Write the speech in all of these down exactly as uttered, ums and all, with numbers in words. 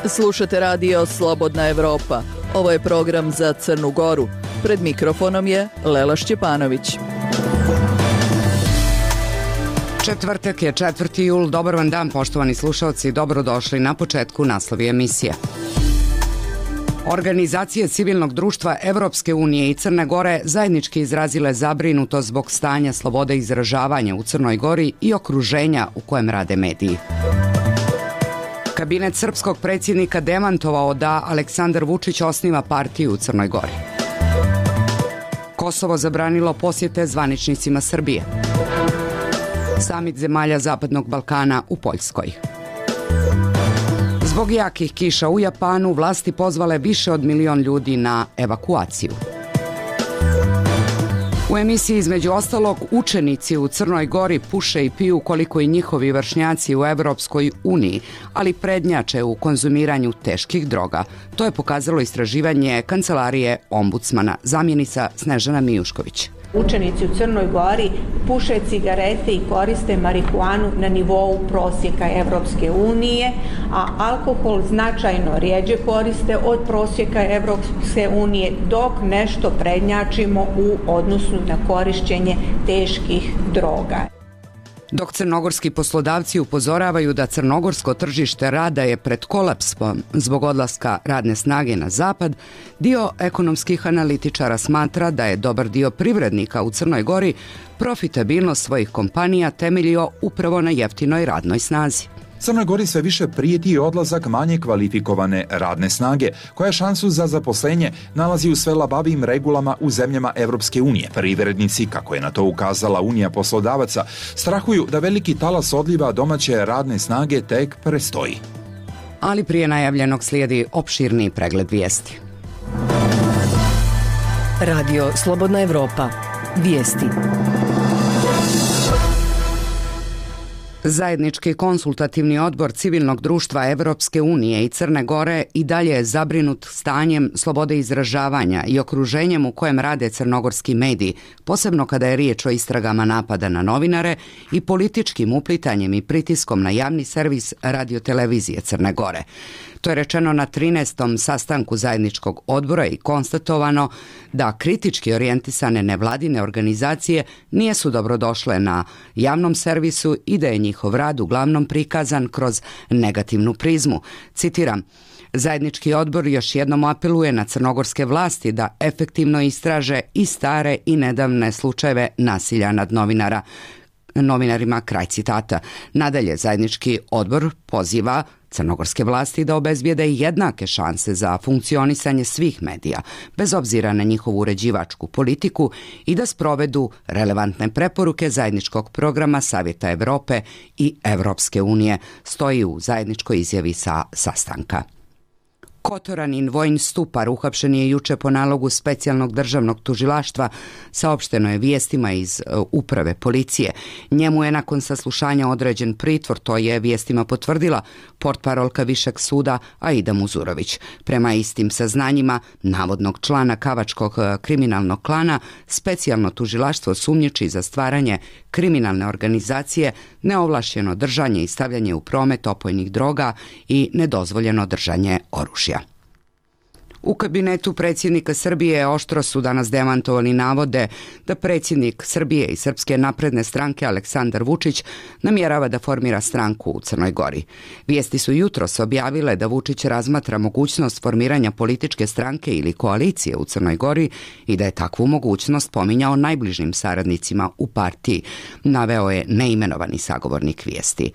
Slušate radio Slobodna Evropa. Ovo je program za Crnu Goru. Pred mikrofonom je Lela Šćepanović. Četvrtak je četvrti jul. Dobar vam dan, poštovani slušalci. Dobrodošli na početku naslovi emisije. Organizacije civilnog društva Evropske unije i Crne Gore zajednički izrazile zabrinutost zbog stanja slobode izražavanja u Crnoj Gori i okruženja u kojem rade mediji. Kabinet srpskog predsjednika demantovao da Aleksandar Vučić osniva partiju u Crnoj Gori. Kosovo zabranilo posjete zvaničnicima Srbije. Samit zemalja Zapadnog Balkana u Poljskoj. Zbog jakih kiša u Japanu vlasti pozvale više od milion ljudi na evakuaciju. U emisiji između ostalog učenici u Crnoj Gori puše i piju koliko i njihovi vršnjaci u Evropskoj uniji, ali prednjače u konzumiranju teških droga. To je pokazalo istraživanje Kancelarije ombudsmana. Zamjenica Snežana Mijušković. Učenici u Crnoj Gori puše cigarete i koriste marihuanu na nivou prosjeka Evropske unije, a alkohol značajno rjeđe koriste od prosjeka Evropske unije, dok nešto prednjačimo u odnosu na korišćenje teških droga. Dok crnogorski poslodavci upozoravaju da crnogorsko tržište rada je pred kolapsom zbog odlaska radne snage na zapad, dio ekonomskih analitičara smatra da je dobar dio privrednika u Crnoj Gori profitabilnost svojih kompanija temeljio upravo na jeftinoj radnoj snazi. Crnoj Gori sve više prijeti odlazak manje kvalifikovane radne snage, koja šansu za zaposlenje nalazi u sve labavijim regulama u zemljama Evropske unije. Privrednici, kako je na to ukazala Unija poslodavaca, strahuju da veliki talas odliva domaće radne snage tek prestoji. Ali prije najavljenog slijedi opširni pregled vijesti. Radio Slobodna Evropa. Vijesti. Zajednički konsultativni odbor civilnog društva Evropske unije i Crne Gore i dalje je zabrinut stanjem slobode izražavanja i okruženjem u kojem rade crnogorski mediji, posebno kada je riječ o istragama napada na novinare i političkim uplitanjem i pritiskom na javni servis radiotelevizije Crne Gore. To je rečeno na trinaestom sastanku zajedničkog odbora i konstatovano da kritički orijentisane nevladine organizacije nisu dobrodošle na javnom servisu i da je njihov rad uglavnom prikazan kroz negativnu prizmu. Citiram, zajednički odbor još jednom apeluje na crnogorske vlasti da efektivno istraže i stare i nedavne slučajeve nasilja nad novinara. novinarima, kraj citata. Nadalje, zajednički odbor poziva crnogorske vlasti da obezbijede jednake šanse za funkcionisanje svih medija, bez obzira na njihovu uređivačku politiku i da sprovedu relevantne preporuke zajedničkog programa Savjeta Evrope i Evropske unije, stoji u zajedničkoj izjavi sa sastanka. Kotoranin Vojin Stupar uhapšen je juče po nalogu specijalnog državnog tužilaštva, saopšteno je vijestima iz uh, uprave policije. Njemu je nakon saslušanja određen pritvor, to je vijestima potvrdila portparolka Višeg suda Aida Muzurović. Prema istim saznanjima navodnog člana Kavačkog kriminalnog klana, specijalno tužilaštvo sumnjiči za stvaranje kriminalne organizacije, neovlašćeno držanje i stavljanje u promet opojnih droga i nedozvoljeno držanje oružja. U kabinetu predsjednika Srbije oštro su danas demantovali navode da predsjednik Srbije i Srpske napredne stranke Aleksandar Vučić namjerava da formira stranku u Crnoj Gori. Vijesti su jutros objavile da Vučić razmatra mogućnost formiranja političke stranke ili koalicije u Crnoj Gori i da je takvu mogućnost pominjao najbližim saradnicima u partiji, naveo je neimenovani sagovornik vijesti.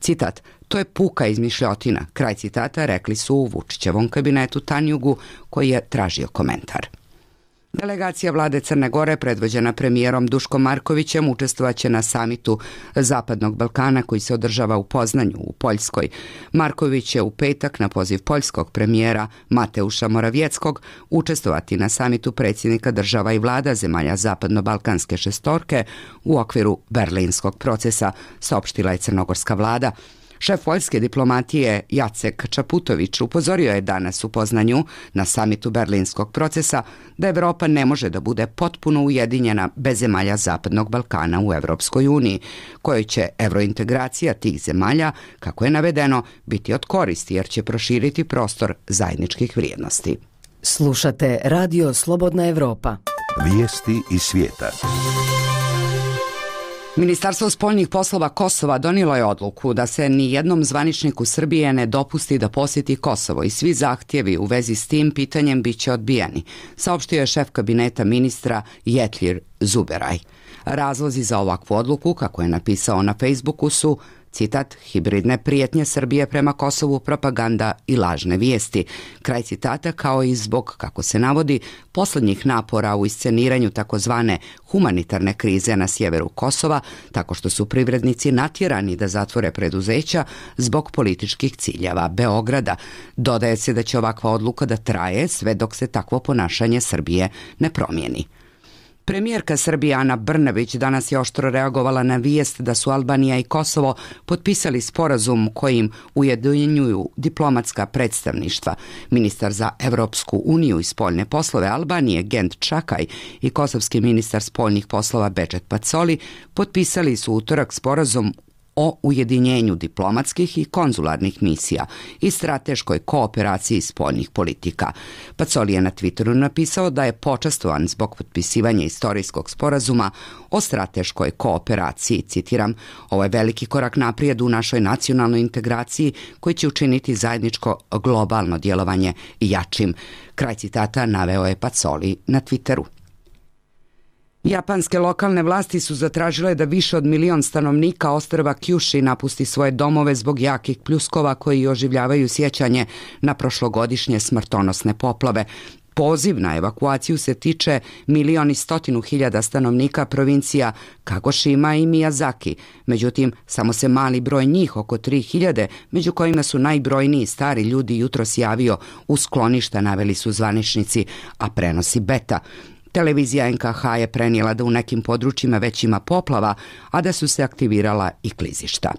Citat, to je puka izmišljotina, kraj citata, rekli su u Vučićevom kabinetu Tanjugu, koji je tražio komentar. Delegacija vlade Crne Gore, predvođena premijerom Duškom Markovićem, učestvovaće na samitu Zapadnog Balkana koji se održava u Poznanju u Poljskoj. Marković će u petak na poziv poljskog premijera Mateuša Moravjeckog učestvovati na samitu predsjednika država i vlada zemalja Zapadno-Balkanske šestorke u okviru berlinskog procesa, saopštila je crnogorska vlada. Šef poljske diplomatije Jacek Čaputović upozorio je danas u Poznanju na samitu Berlinskog procesa da Evropa ne može da bude potpuno ujedinjena bez zemalja Zapadnog Balkana u Evropskoj uniji, kojoj će evrointegracija tih zemalja, kako je navedeno, biti od koristi jer će proširiti prostor zajedničkih vrijednosti. Slušate Radio Slobodna Evropa. Vijesti iz svijeta. Ministarstvo spoljnih poslova Kosova donijelo je odluku da se ni jednom zvaničniku Srbije ne dopusti da posjeti Kosovo i svi zahtjevi u vezi s tim pitanjem bit će odbijeni, saopštio je šef kabineta ministra Jetlir Zuberaj. Razlozi za ovakvu odluku, kako je napisao na Facebooku, su citat, hibridne prijetnje Srbije prema Kosovu, propaganda i lažne vijesti. Kraj citata, kao i zbog, kako se navodi, posljednjih napora u isceniranju takozvane humanitarne krize na sjeveru Kosova, tako što su privrednici natjerani da zatvore preduzeća zbog političkih ciljeva Beograda. Dodaje se da će ovakva odluka da traje sve dok se takvo ponašanje Srbije ne promijeni. Premijerka Srbije Ana Brnabić danas je oštro reagovala na vijest da su Albanija i Kosovo potpisali sporazum kojim ujedinjuju diplomatska predstavništva. Ministar za Evropsku uniju i spoljne poslove Albanije Gent Čakaj i kosovski ministar spoljnih poslova Bedžet Pacoli potpisali su utorak sporazum o ujedinjenju diplomatskih i konzularnih misija i strateškoj kooperaciji spoljnih politika. Pacoli je na Twitteru napisao da je počastovan zbog potpisivanja istorijskog sporazuma o strateškoj kooperaciji. Citiram, ovo je veliki korak naprijed u našoj nacionalnoj integraciji koji će učiniti zajedničko globalno djelovanje jačim. Kraj citata naveo je Pacoli na Twitteru. Japanske lokalne vlasti su zatražile da više od milion stanovnika ostrva Kyushu napusti svoje domove zbog jakih pljuskova koji oživljavaju sjećanje na prošlogodišnje smrtonosne poplave. Poziv na evakuaciju se tiče milion i stotinu hiljada stanovnika provincija Kagošima i Miyazaki. Međutim, samo se mali broj njih, oko tri hiljade, među kojima su najbrojniji stari ljudi, jutros javio u skloništa, naveli su zvaničnici, a prenosi Beta. Televizija N K H je prenijela da u nekim područjima već ima poplava, a da su se aktivirala i klizišta.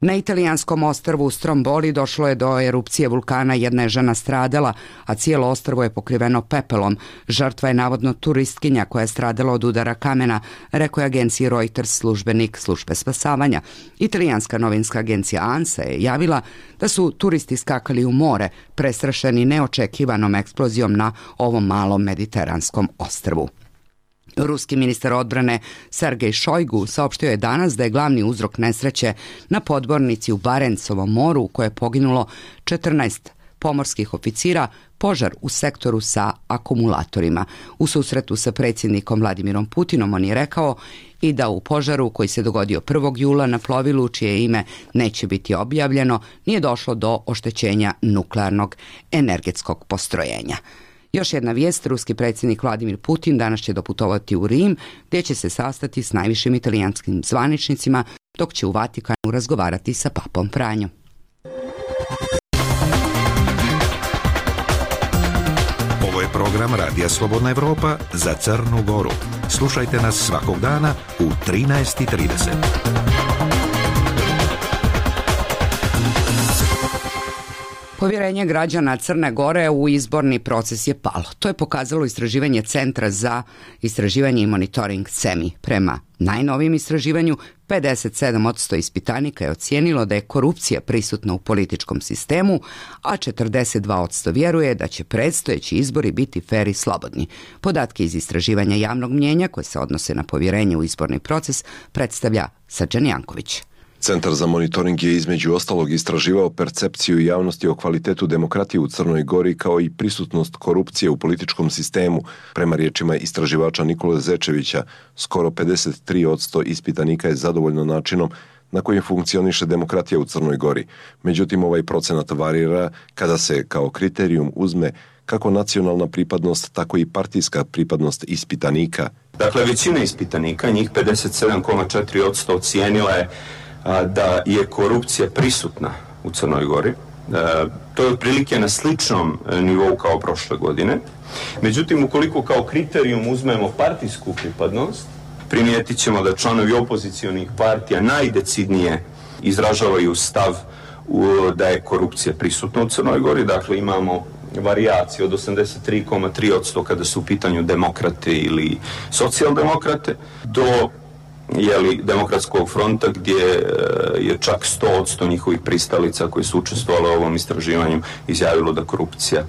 Na italijanskom ostrvu Stromboli došlo je do erupcije vulkana, jedna je žena stradala, a cijelo ostrvo je pokriveno pepelom. Žrtva je navodno turistkinja koja je stradala od udara kamena, rekao je agenciji Reuters službenik službe spasavanja. Italijanska novinska agencija ANSA je javila da su turisti skakali u more, prestrašeni neočekivanom eksplozijom na ovom malom mediteranskom ostrvu. Ruski ministar odbrane Sergej Šojgu saopštio je danas da je glavni uzrok nesreće na podmornici u Barencovom moru u kojoj je poginulo četrnaest pomorskih oficira požar u sektoru sa akumulatorima. U susretu sa predsjednikom Vladimirom Putinom on je rekao i da u požaru koji se dogodio prvog jula na plovilu čije ime neće biti objavljeno nije došlo do oštećenja nuklearnog energetskog postrojenja. Još jedna vijest, ruski predsjednik Vladimir Putin danas će doputovati u Rim, gdje će se sastati s najvišim italijanskim zvaničnicima, dok će u Vatikanu razgovarati sa papom Franjom. Ovo je program Radija Slobodna Evropa za Crnu Goru. Slušajte nas svakog dana u trinaest i trideset. Povjerenje građana Crne Gore u izborni proces je palo. To je pokazalo istraživanje Centra za istraživanje i monitoring C E M I. Prema najnovijem istraživanju, pedeset sedam posto ispitanika je ocijenilo da je korupcija prisutna u političkom sistemu, a četrdeset dva posto vjeruje da će predstojeći izbori biti fer i slobodni. Podatke iz istraživanja javnog mnjenja koje se odnose na povjerenje u izborni proces predstavlja Srđan Janković. Centar za monitoring je između ostalog istraživao percepciju javnosti o kvalitetu demokratije u Crnoj Gori kao i prisutnost korupcije u političkom sistemu. Prema riječima istraživača Nikole Zečevića, skoro pedeset tri posto ispitanika je zadovoljno načinom na koji funkcioniše demokratija u Crnoj Gori. Međutim, ovaj procenat varira kada se kao kriterijum uzme kako nacionalna pripadnost, tako i partijska pripadnost ispitanika. Dakle, većina ispitanika, njih pedeset sedam zarez četiri posto ocijenila je da je korupcija prisutna u Crnoj Gori. To je otprilike na sličnom nivou kao prošle godine. Međutim, ukoliko kao kriterijum uzmemo partijsku pripadnost, primijetit ćemo da članovi opozicionih partija najdecidnije izražavaju stav da je korupcija prisutna u Crnoj Gori. Dakle, imamo varijacije od osamdeset tri zarez tri posto kada su u pitanju demokrate ili socijaldemokrate do jeli, Demokratskog fronta gdje je čak sto posto njihovih pristalica koji su učestvovali u ovom istraživanju izjavilo da korupcija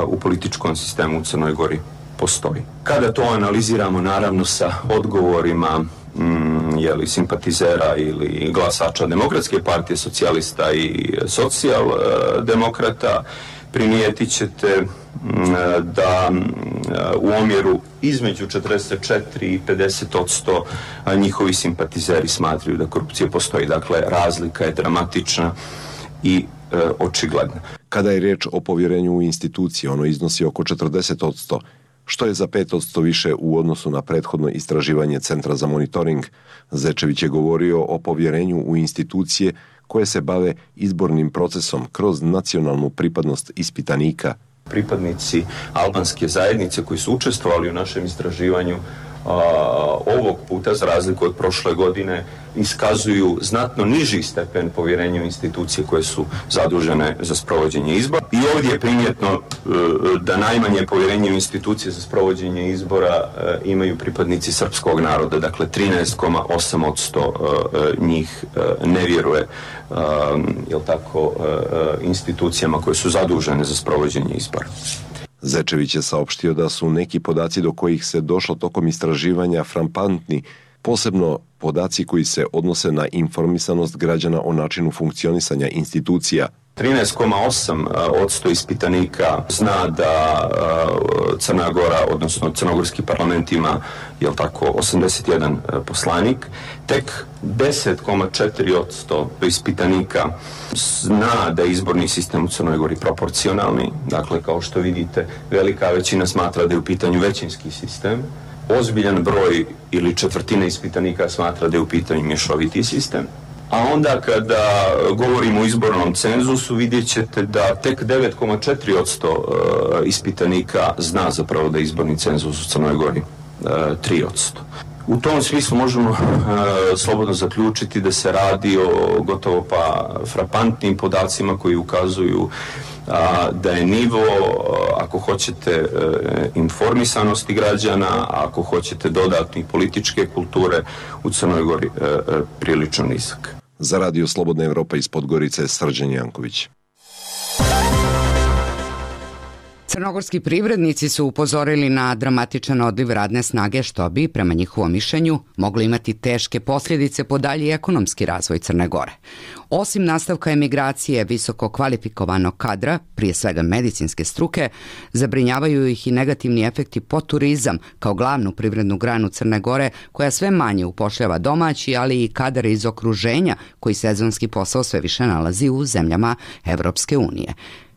u političkom sistemu u Crnoj Gori postoji. Kada to analiziramo naravno sa odgovorima mm, jeli, simpatizera ili glasača Demokratske partije, socijalista i socijaldemokrata, primijetit ćete da u omjeru između četrdeset četiri i pedeset posto njihovi simpatizeri smatraju da korupcija postoji. Dakle, razlika je dramatična i e, očigledna. Kada je riječ o povjerenju u institucije, ono iznosi oko četrdeset posto, što je za pet posto više u odnosu na prethodno istraživanje Centra za monitoring. Zečević je govorio o povjerenju u institucije koje se bave izbornim procesom kroz nacionalnu pripadnost ispitanika. Pripadnici albanske zajednice koji su učestvovali u našem istraživanju a, ovog puta, za razliku od prošle godine, iskazuju znatno niži stepen povjerenja u institucije koje su zadužene za sprovođenje izbora. I ovdje je primjetno da najmanje povjerenje u institucije za sprovođenje izbora imaju pripadnici srpskog naroda, dakle trinaest zarez osam posto njih ne vjeruje jel tako, institucijama koje su zadužene za sprovođenje izbora. Zečević je saopštio da su neki podaci do kojih se došlo tokom istraživanja frampantni, posebno podaci koji se odnose na informisanost građana o načinu funkcionisanja institucija. trinaest zarez osam posto ispitanika zna da Crna Gora, odnosno crnogorski parlament ima, jel tako, osamdeset jedan poslanik. Tek deset zarez četiri posto ispitanika zna da je izborni sistem u Crnoj Gori proporcionalni. Dakle, kao što vidite, velika većina smatra da je u pitanju većinski sistem. Ozbiljan broj ili četvrtina ispitanika smatra da je u pitanju mješoviti sistem. A onda kada govorimo o izbornom cenzusu, vidjet ćete da tek devet zarez četiri posto ispitanika zna zapravo da je izborni cenzus u Crnoj Gori tri posto. U tom smislu možemo uh, slobodno zaključiti da se radi o gotovo pa frapantnim podacima koji ukazuju uh, da je nivo, uh, ako hoćete, uh, informisanosti građana, a ako hoćete dodatnih političke kulture u Crnoj Gori uh, uh, prilično nizak. Za Radio Slobodna Evropa iz Podgorice, Srđan Janković. Crnogorski privrednici su upozorili na dramatičan odliv radne snage što bi, prema njihovom mišljenju, moglo imati teške posljedice po dalji ekonomski razvoj Crne Gore. Osim nastavka emigracije visoko kvalifikovanog kadra, prije svega medicinske struke, zabrinjavaju ih i negativni efekti po turizam kao glavnu privrednu granu Crne Gore koja sve manje upošljava domaći, ali i kadar iz okruženja koji sezonski posao sve više nalazi u zemljama Evropske unije.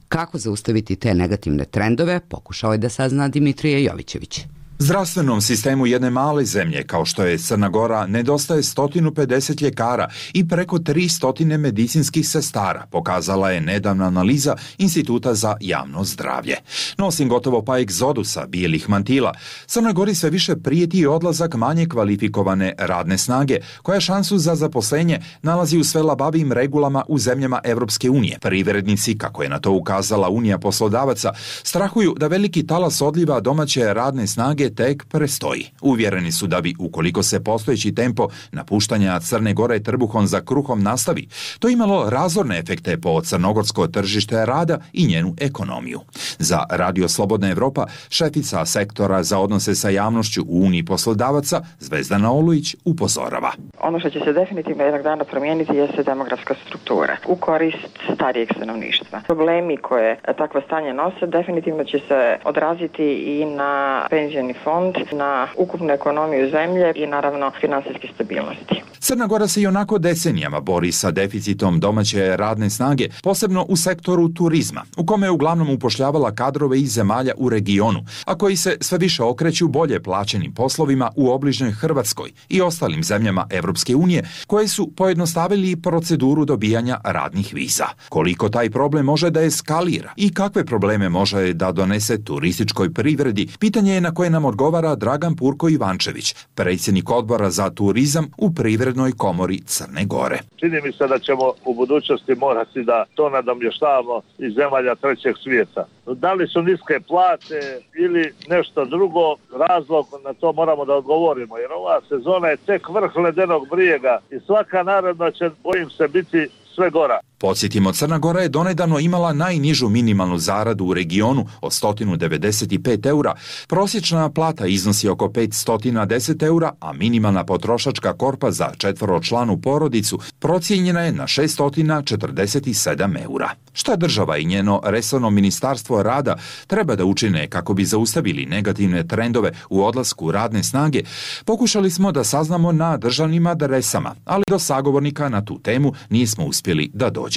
Kako zaustaviti te negativne trendove, pokušao je da sazna Dimitrije Jovićević. Zdravstvenom sistemu jedne male zemlje, kao što je Crna Gora, nedostaje sto pedeset ljekara i preko tristo medicinskih sestara, pokazala je nedavna analiza Instituta za javno zdravlje. No, osim gotovo pa egzodusa bijelih mantila, Crnoj Gori sve više prijeti odlazak manje kvalifikovane radne snage, koja šansu za zaposlenje nalazi u sve labavijim regulama u zemljama Evropske unije. Privrednici, kako je na to ukazala Unija poslodavaca, strahuju da veliki talas odliva domaće radne snage tek prestoji. Uvjereni su da bi, ukoliko se postojeći tempo napuštanja Crne Gore trbuhom za kruhom nastavi, to imalo razorne efekte po crnogorsko tržište rada i njenu ekonomiju. Za Radio Slobodna Evropa, šefica sektora za odnose sa javnošću u Uniji poslodavaca, Zvezdana Olujić, upozorava. Ono što će se definitivno jednog dana promijeniti jeste demografska struktura u korist starijeg stanovništva. Problemi koje takvo stanje nose definitivno će se odraziti i na penzijni fond, na ukupnu ekonomiju zemlje i naravno finansijske stabilnosti. Crna Gora se i onako decenijama bori sa deficitom domaće radne snage, posebno u sektoru turizma, u kome je uglavnom upošljavala privukla kadrove iz zemalja u regionu, a koji se sve više okreću bolje plaćenim poslovima u obližnjoj Hrvatskoj i ostalim zemljama Evropske unije, koje su pojednostavili proceduru dobijanja radnih viza. Koliko taj problem može da eskalira i kakve probleme može da donese turističkoj privredi, pitanje je na koje nam odgovara Dragan Purko Ivančević, predsjednik odbora za turizam u Privrednoj komori Crne Gore. Čini mi se da ćemo u budućnosti morati da to nadomještavamo iz zemalja trećeg svijeta. Da li su niske plate ili nešto drugo, razlog na to moramo da odgovorimo, jer ova sezona je tek vrh ledenog brijega i svaka naredna će, bojim se, biti sve gora. Podsjetimo, Crna Gora je donedavno imala najnižu minimalnu zaradu u regionu od sto devedeset pet eura, prosječna plata iznosi oko petsto deset eura, a minimalna potrošačka korpa za četvoročlanu porodicu procijenjena je na šesto četrdeset sedam eura. Šta država i njeno resorno ministarstvo rada treba da učine kako bi zaustavili negativne trendove u odlasku radne snage, pokušali smo da saznamo na državnim adresama, ali do sagovornika na tu temu nismo uspjeli da dođemo.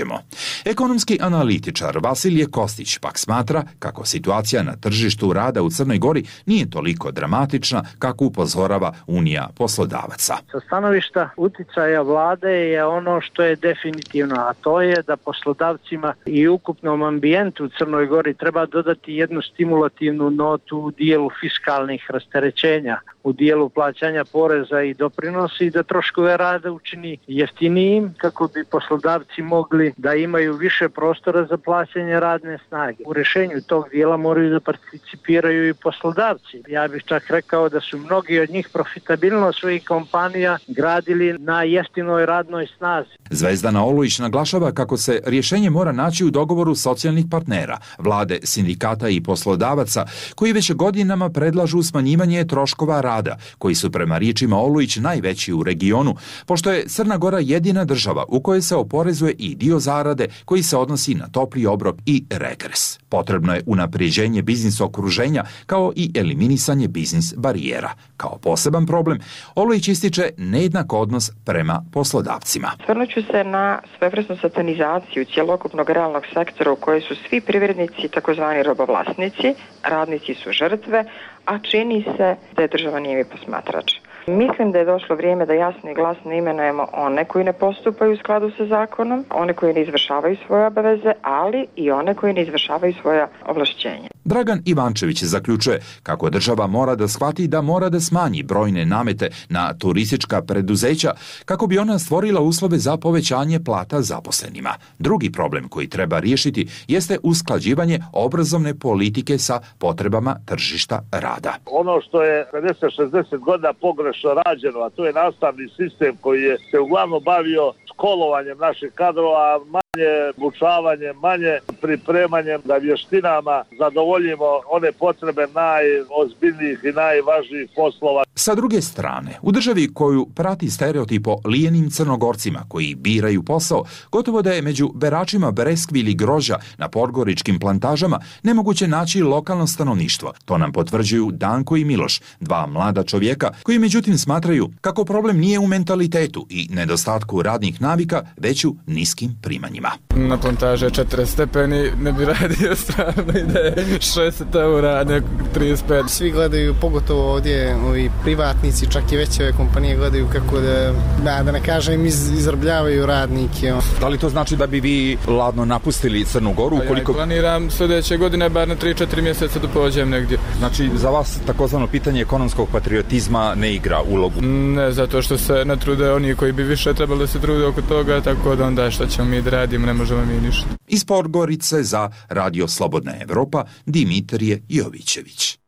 Ekonomski analitičar Vasilije Kostić pak smatra kako situacija na tržištu rada u Crnoj Gori nije toliko dramatična kako upozorava Unija poslodavaca. Sa stanovišta uticaja vlade je ono što je definitivno, a to je da poslodavcima i ukupnom ambijentu u Crnoj Gori treba dodati jednu stimulativnu notu u dijelu fiskalnih rasterećenja, u dijelu plaćanja poreza i doprinosi i da troškove rada učini jeftinijim kako bi poslodavci mogli da imaju više prostora za plaćanje radne snage. U rješenju tog dijela moraju da participiraju i poslodavci. Ja bih čak rekao da su mnogi od njih profitabilnost svojih kompanija gradili na jeftinoj radnoj snazi. Zvezdana Olujić naglašava kako se rješenje mora naći u dogovoru socijalnih partnera, vlade, sindikata i poslodavaca, koji već godinama predlažu smanjivanje troškova rada, koji su prema riječima Olujić najveći u regionu, pošto je Crna Gora jedina država u kojoj se oporezuje i dio zarade koji se odnosi na topli obrok i regres. Potrebno je unapređenje biznis okruženja kao i eliminisanje biznis barijera. Kao poseban problem, Olujić ističe nejednak odnos prema poslodavcima. Svrnuću se na svevrsnu satanizaciju cjelokupnog realnog sektora u kojoj su svi privrednici takozvani robovlasnici, radnici su žrtve, a čini se da je država nije posmatrač. Mislim da je došlo vrijeme da jasno i glasno imenujemo one koji ne postupaju u skladu sa zakonom, one koji ne izvršavaju svoje obaveze, ali i one koji ne izvršavaju svoja ovlašćenja. Dragan Ivančević zaključuje kako država mora da shvati da mora da smanji brojne namete na turistička preduzeća kako bi ona stvorila uslove za povećanje plata zaposlenima. Drugi problem koji treba riješiti jeste usklađivanje obrazovne politike sa potrebama tržišta rada. Ono što je pedeset šezdeset godina pogrešno rađeno, a to je nastavni sistem koji je se uglavnom bavio školovanjem naših kadrova, manje obučavanjem, manje pripremanjem da vještinama zadovoljimo one potrebe najozbiljnijih i najvažnijih poslova. Sa druge strane, u državi koju prati stereotip o lijenim Crnogorcima koji biraju posao, gotovo da je među beračima breskvi ili grožđa na podgoričkim plantažama nemoguće naći lokalno stanovništvo. To nam potvrđuju Danko i Miloš, dva mlada čovjeka koji međutim smatraju kako problem nije u mentalitetu i nedostatku radnih navika, već u niskim primanjima. Na plantaže je četrdeset stepeni, ne bi radio stvarno i da je šezdeset eura, a ne trideset pet. Svi gledaju, pogotovo ovdje ovi privatnici, čak i veće ove kompanije gledaju kako da, da, da ne kažem, iz, izrabljavaju radnike. Da li to znači da bi vi ladno napustili Crnu Goru? Ukoliko... Ja planiram sljedeće godine bar na tri četiri mjeseca da pođem negdje. Znači za vas takozvano pitanje ekonomskog patriotizma ne igra ulogu? Ne, zato što se ne trude oni koji bi više trebali da se trude oko toga, tako da onda šta ćemo mi da radimo, ne možemo mi ništa. Iz Podgorice za Radio Slobodna Evropa, Dimitrije Jovićević.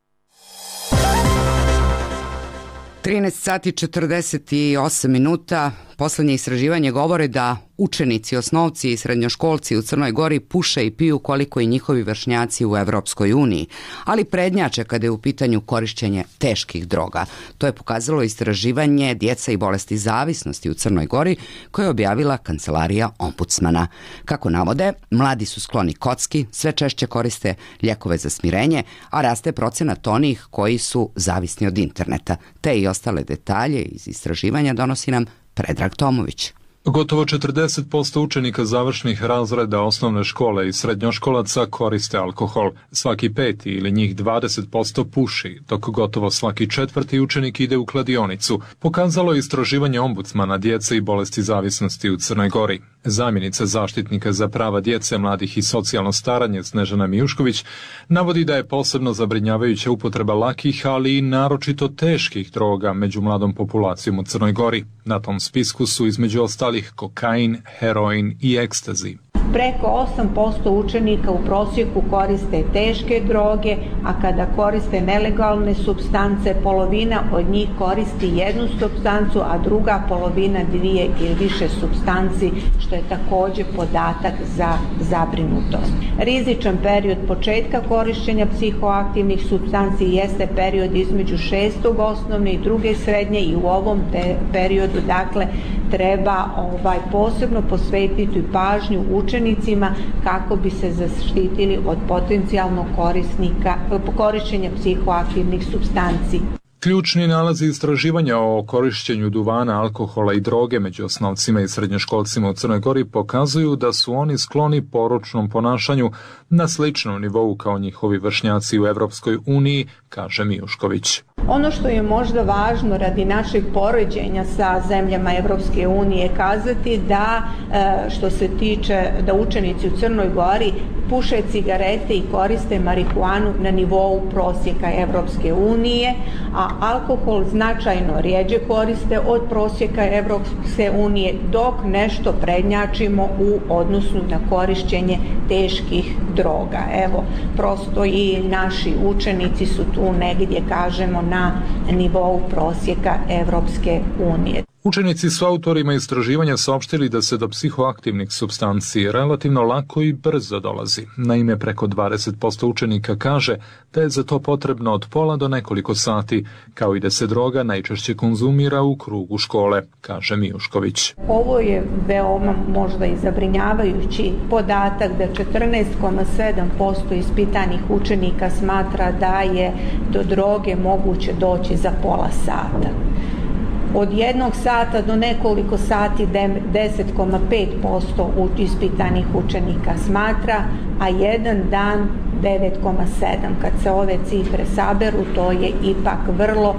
trinaest sati četrdeset osam minuta. Poslednje istraživanje govore da učenici, osnovci i srednjoškolci u Crnoj Gori puše i piju koliko i njihovi vršnjaci u Evropskoj uniji, ali prednjače kada je u pitanju korišćenje teških droga. To je pokazalo istraživanje Djeca i bolesti zavisnosti u Crnoj Gori koje je objavila Kancelarija ombudsmana. Kako navode, mladi su skloni kocki, sve češće koriste lijekove za smirenje, a raste procenat onih koji su zavisni od interneta. Te i ostale detalje iz istraživanja donosi nam Predrag Tomović. Gotovo četrdeset posto učenika završnih razreda osnovne škole i srednjoškolaca koriste alkohol. Svaki peti ili njih dvadeset posto puši, dok gotovo svaki četvrti učenik ide u kladionicu, pokazalo je istraživanje ombudsmana djece i bolesti zavisnosti u Crnoj Gori. Zamjenica zaštitnika za prava djece, mladih i socijalno staranje Snežana Mijušković navodi da je posebno zabrinjavajuća upotreba lakih, ali i naročito teških droga među mladom populacijom u Crnoj Gori. Na tom spisku su između ostalih kokain, heroin i ekstazi. Preko osam posto učenika u prosjeku koriste teške droge, a kada koriste nelegalne supstance, polovina od njih koristi jednu supstancu, a druga polovina dvije ili više supstanci, što je također podatak za zabrinutost. Rizičan period početka korištenja psihoaktivnih supstanci jeste period između šestog osnovne i druge srednje i u ovom periodu dakle treba ovaj posebno posvetiti pažnju učenicima kako bi se zaštitili od potencijalnog korisnika korištenja psihoaktivnih supstanci. Ključni nalazi istraživanja o korišćenju duvana, alkohola i droge među osnovcima i srednjoškolcima u Crnoj Gori pokazuju da su oni skloni poročnom ponašanju na sličnom nivou kao njihovi vršnjaci u Evropskoj uniji, kaže Mijušković. Ono što je možda važno radi našeg poređenja sa zemljama Evropske unije kazati da što se tiče da učenici u Crnoj Gori puše cigarete i koriste marihuanu na nivou prosjeka Evropske unije, a alkohol značajno rijeđe koriste od prosjeka Evropske unije, dok nešto prednjačimo u odnosu na korišćenje teških droga. Evo, prosto i naši učenici su tu negdje, kažemo, na nivou prosjeka Evropske unije. Učenici su autorima istraživanja saopštili da se do psihoaktivnih supstanci relativno lako i brzo dolazi. Naime, preko dvadeset posto učenika kaže da je za to potrebno od pola do nekoliko sati, kao i da se droga najčešće konzumira u krugu škole, kaže Mijušković. Ovo je veoma možda i zabrinjavajući podatak da četrnaest zarez sedam posto ispitanih učenika smatra da je do droge moguće doći za pola sata. Od jednog sata do nekoliko sati deset zarez pet posto ispitanih učenika smatra, a jedan dan devet zarez sedam. Kad se ove cifre saberu, to je ipak vrlo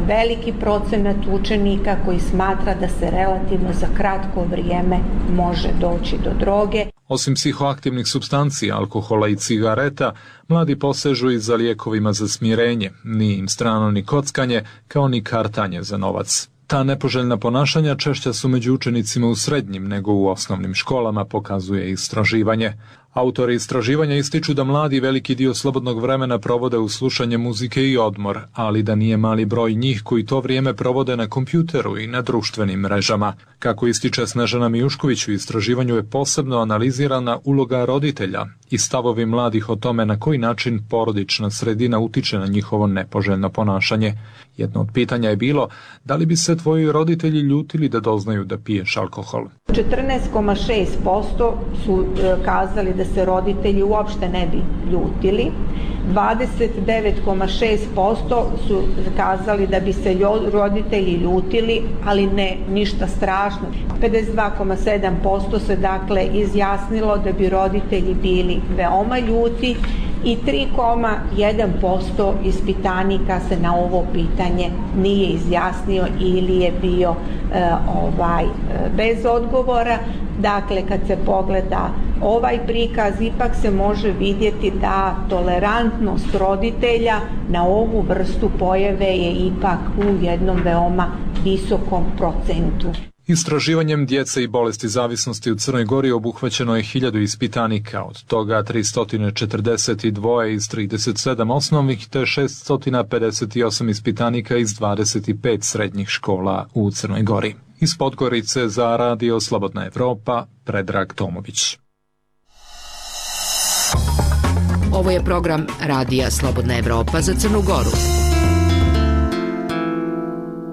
veliki procenat učenika koji smatra da se relativno za kratko vrijeme može doći do droge. Osim psihoaktivnih supstanci, alkohola i cigareta, mladi posežu i za lijekovima za smirenje, nije im strano ni kockanje, kao ni kartanje za novac. Ta nepoželjna ponašanja češća su među učenicima u srednjim nego u osnovnim školama, pokazuje istraživanje. Autori istraživanja ističu da mladi veliki dio slobodnog vremena provode u slušanje muzike i odmor, ali da nije mali broj njih koji to vrijeme provode na kompjuteru i na društvenim mrežama. Kako ističe Snežana Mijušković, u istraživanju je posebno analizirana uloga roditelja i stavovi mladih o tome na koji način porodična sredina utiče na njihovo nepoželjno ponašanje. Jedno od pitanja je bilo da li bi se tvoji roditelji ljutili da doznaju da piješ alkohol. četrnaest zarez šest posto su kazali da se roditelji uopšte ne bi ljutili, dvadeset devet zarez šest posto su kazali da bi se roditelji ljutili, ali ne ništa strašno. pedeset dva zarez sedam posto se dakle izjasnilo da bi roditelji bili veoma ljuti i tri zarez jedan posto ispitanika se na ovo pitanje nije izjasnio ili je bio e, ovaj bez odgovora. Dakle, kad se pogleda ovaj prikaz, ipak se može vidjeti da tolerantnost roditelja na ovu vrstu pojave je ipak u jednom veoma visokom procentu. Istraživanjem djece i bolesti zavisnosti u Crnoj Gori obuhvaćeno je hiljadu ispitanika, od toga tristo četrdeset dva iz trideset sedam osnovnih te šesto pedeset osam ispitanika iz dvadeset pet srednjih škola u Crnoj Gori. Iz Podgorice za Radio Slobodna Evropa, Predrag Tomović. Ovo je program Radija Slobodna Evropa za Crnu Goru.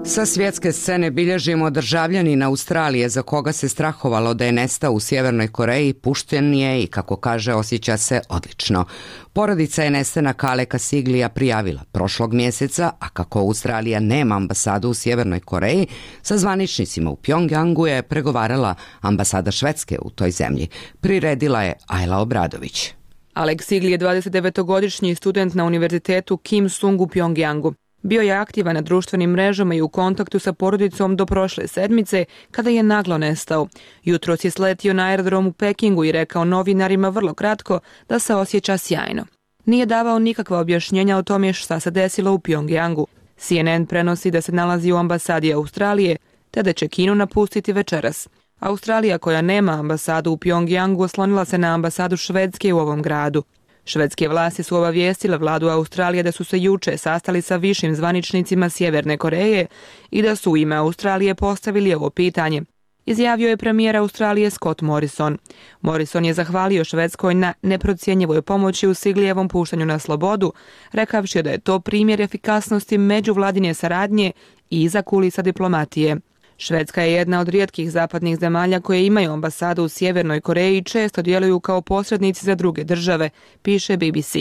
Sa svjetske scene bilježimo državljanin Australije za koga se strahovalo da je nestao u Sjevernoj Koreji, pušten je i, kako kaže, osjeća se odlično. Porodica je nestanak Aleka Siglija prijavila prošlog mjeseca, a kako Australija nema ambasadu u Sjevernoj Koreji, sa zvaničnicima u Pjongjangu je pregovarala ambasada Švedske u toj zemlji. Priredila je Ajla Obradović. Alek Sigli je dvadesetdevetogodišnji student na univerzitetu Kim Sung u Pjongjangu. Bio je aktivan na društvenim mrežama i u kontaktu sa porodicom do prošle sedmice, kada je naglo nestao. Jutros je sletio na aerodrom u Pekingu i rekao novinarima vrlo kratko da se osjeća sjajno. Nije davao nikakva objašnjenja o tome šta se desilo u Pjongjangu. C N N prenosi da se nalazi u ambasadi Australije, te da će Kinu napustiti večeras. Australija, koja nema ambasadu u Pjongjangu, oslonila se na ambasadu Švedske u ovom gradu. Švedske vlasti su obavijestile vladu Australije da su se juče sastali sa višim zvaničnicima Sjeverne Koreje i da su u ime Australije postavili ovo pitanje. Izjavio je premijer Australije Scott Morrison. Morrison je zahvalio Švedskoj na neprocjenjivoj pomoći u Siglijevom puštanju na slobodu, rekavši da je to primjer efikasnosti međuvladine saradnje i iza kulisa diplomatije. Švedska je jedna od rijetkih zapadnih zemalja koje imaju ambasadu u Sjevernoj Koreji i često djeluju kao posrednici za druge države, piše B B C.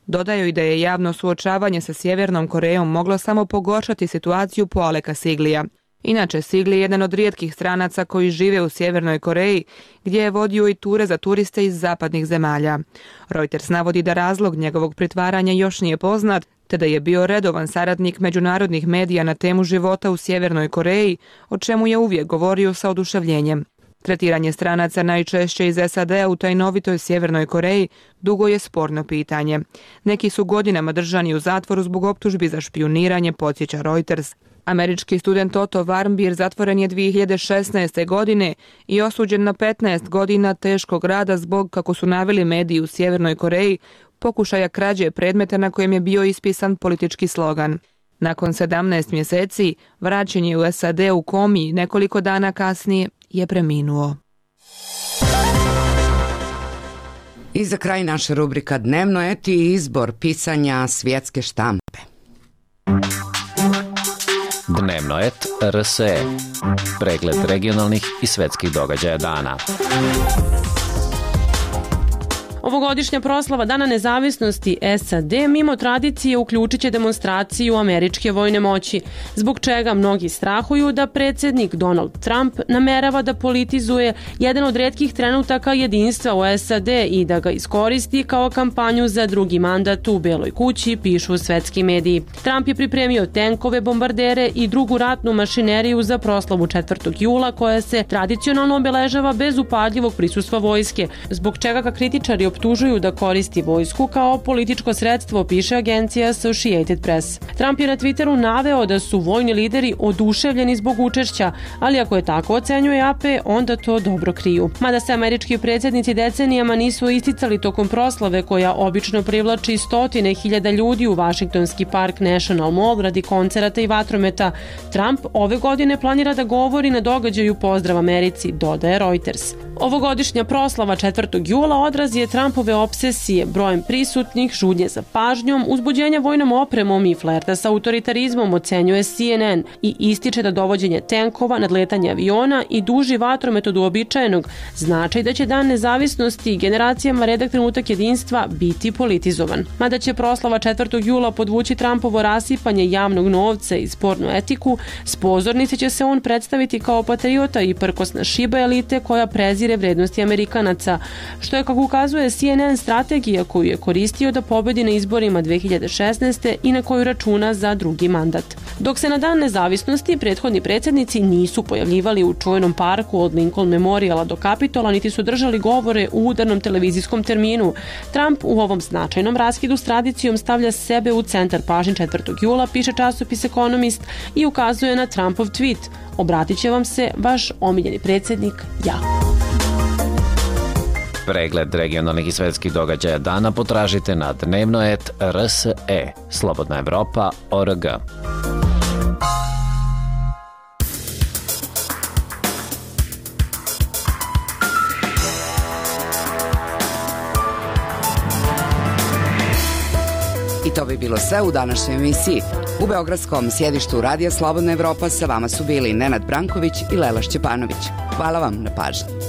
Dodaju i da je javno suočavanje sa Sjevernom Korejom moglo samo pogoršati situaciju po Aleka Siglija. Inače, Sigli je jedan od rijetkih stranaca koji žive u Sjevernoj Koreji, gdje je vodio i ture za turiste iz zapadnih zemalja. Reuters navodi da razlog njegovog pritvaranja još nije poznat, te da je bio redovan saradnik međunarodnih medija na temu života u Sjevernoj Koreji, o čemu je uvijek govorio sa oduševljenjem. Tretiranje stranaca najčešće iz S A D-a u tajnovitoj Sjevernoj Koreji dugo je sporno pitanje. Neki su godinama držani u zatvoru zbog optužbi za špijuniranje, podsjeća Reuters. Američki student Otto Warmbier zatvoren je dvije hiljade šesnaeste. godine i osuđen na petnaest godina teškog rada zbog, kako su naveli mediji u Sjevernoj Koreji, pokušaja krađe predmeta na kojem je bio ispisan politički slogan. Nakon sedamnaest mjeseci, vraćen je u S A D u komi i nekoliko dana kasnije je preminuo. I za kraj naša rubrika Dnevno et i izbor pisanja svjetske štampe. Dnevno et R S E. Pregled regionalnih i svetskih događaja dana. Ovogodišnja proslava Dana nezavisnosti S A D mimo tradicije uključit će demonstraciju američke vojne moći, zbog čega mnogi strahuju da predsjednik Donald Trump namerava da politizuje jedan od retkih trenutaka jedinstva u S A D i da ga iskoristi kao kampanju za drugi mandat u Beloj kući, pišu svetski mediji. Trump je pripremio tenkove, bombardere i drugu ratnu mašineriju za proslavu četvrtog jula, koja se tradicionalno obeležava bez upadljivog prisustva vojske, zbog čega ga kritičari optužuju da koristi vojsku kao političko sredstvo, piše agencija Associated Press. Trump je na Twitteru naveo da su vojni lideri oduševljeni zbog učešća, ali ako je tako ocenjuje A P, onda to dobro kriju. Mada se američki predsjednici decenijama nisu isticali tokom proslave, koja obično privlači stotine hiljada ljudi u Washingtonski park National Mall radi koncerata i vatrometa, Trump ove godine planira da govori na događaju Pozdrav Americi, dodaje Reuters. Ovogodišnja proslava četvrtog jula odraz je Trumpove obsesije, brojem prisutnih, žudnje za pažnjom, uzbuđenja vojnom opremom i flerta sa autoritarizmom, ocenjuje C N N i ističe da dovođenje tenkova, nadletanje aviona i duži vatromet od uobičajenog znači da će Dan nezavisnosti generacijama redak trenutak jedinstva biti politizovan. Mada će proslava četvrtog jula podvući Trumpovo rasipanje javnog novca i spornu etiku, s pozornice će se on predstaviti kao patriota i prkosna šiba elite koja prezire vrednosti Amerikanaca, što je, kako ukazuje C N N, strategija koju je koristio da pobedi na izborima dve hiljade šesnaeste. i na koju računa za drugi mandat. Dok se na Dan nezavisnosti prethodni predsjednici nisu pojavljivali u čuvenom parku od Lincoln Memoriala do Kapitola, niti su držali govore u udarnom televizijskom terminu, Trump u ovom značajnom raskidu s tradicijom stavlja sebe u centar pažnje četvrtog jula, piše časopis Economist i ukazuje na Trumpov tweet: obratit će vam se vaš omiljeni predsjednik, ja. Pregled regionalnih i svetskih događaja dana potražite na dnevno et R S E, Slobodna Evropa, O R G. I to bi bilo sve u današnjoj emisiji. U beogradskom sjedištu Radija Slobodna Evropa sa vama su bili Nenad Branković i Lela Šćepanović. Hvala vam na pažnji.